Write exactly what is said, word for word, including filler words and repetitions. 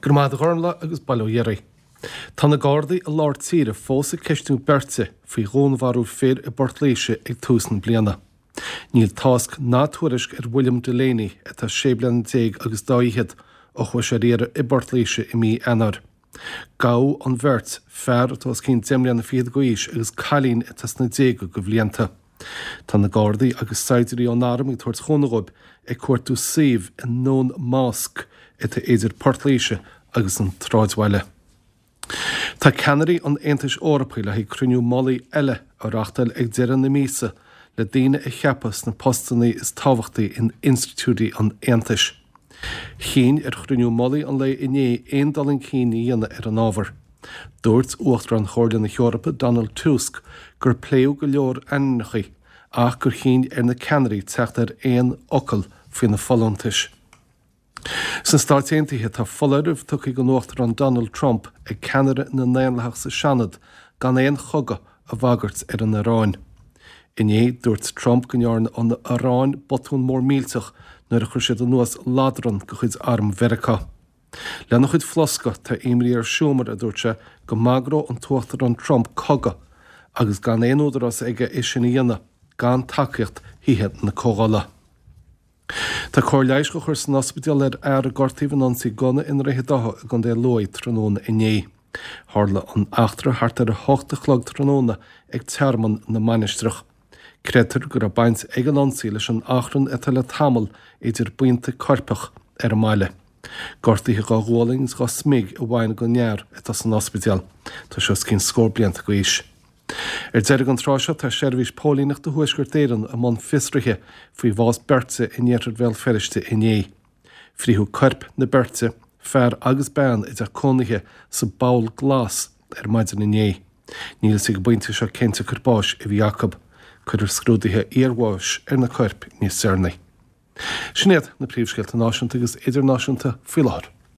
Go raibh maith agat a Ghormfhlaith agus bail ó Dhia oraibh. Tá na Gardaí i lár tíre fós ag ceistiú beirte faoi dhúnmharú fir i bPort Laoise ag tús na bliana. Níl tásc ná tuairisc ar William Delaney atá sé bliana déag agus dá fhichead ó chuaigh sé ar iarraidh i bPort Laoise i mí Eanáir. Gabhadh an bheirt, fear atá os cionn deich mbliana fichead d'aois agus cailín atá sna déaga de bhlianta. Tá na Gardaí agus saighdiúirí ón arm ag tabhairt chúnamh dóibh ag cuartú suímh i nDún Másc atá idir Port Laoise agus an tsráidbhaile. Tá ceannairí an Aontais Eorpaigh le haghaidh cruinniú mullaigh eile a reáchtáil ag deireadh na míosa le daoine a cheapadh sna postanna is tábhachtaí in institiúidí an Aontais. Chinn ar chruinniú mullaigh an lae inné aon dul chun cinn a dhéanamh ar an ábhar. Dúirt Uachtarán Chomhairle na hEorpa Donald Tusk gur pléadh go leor ainmneacha ach gur chinn ar na ceannairí teacht ar aon fhocal faoi na folúntais. Sna Stáit Aontaithe tá foláireamh tugtha ag an Uachtarán Donald Trump ag ceannaire na nDaonlathach sa Seanad gan aon chogadh a bhagairt ar an Iaráin. Inné dúirt Trump go ndearna an Iaráin botún mór millteach nuair a chuir siad anuas ladrann de chuid arm Mheiriceá. Lena chuid flosca tá imní ar Schumer a dúirt sé go mbagródh an tUachtarán Trump cogadh agus gan aon údarás aige é sin a dhéanamh gan tacaíocht Thithe na Comhdhála. Tá cóir leighis á chur san ospidéal ar fhear a gortaíodh in ionsaí gunna i nDroichead Átha i gContae Lú tráthnóna inné. Tharla an eachtra thart ar a hocht a chlog tráthnóna ag Tearmann na Mainistreach. Creidtear go raibh baint ag an ionsaí leis an achrann atá le tamall idir buíonta coirpeach ar an mbaile. Gortuithe dhá ghualainn agus dhá smig a bhain den fhear atá san ospidéal. Tá sé os cionn scór blianta d'aois. Ar deireadh an tráth seo tá seirbhís póilíneachta Thuaisceart Éireann i mbun fiosraithe faoi bhás beirte in iarthar Bhéal Feirste inné. Frítheadh coirp na beirte, fear agus bean i dteach cónaithe sa bPoll Glas ar maidin inné. Níl a fhios ag an bpointe seo cén tsiocair báis a bhí acu. Cuirfear scrúduithe iarbháis ar na coirp níos deireanaí. Sin iad na príomhscéalta náisiúnta agus idirnáisiúnta faoi láthair.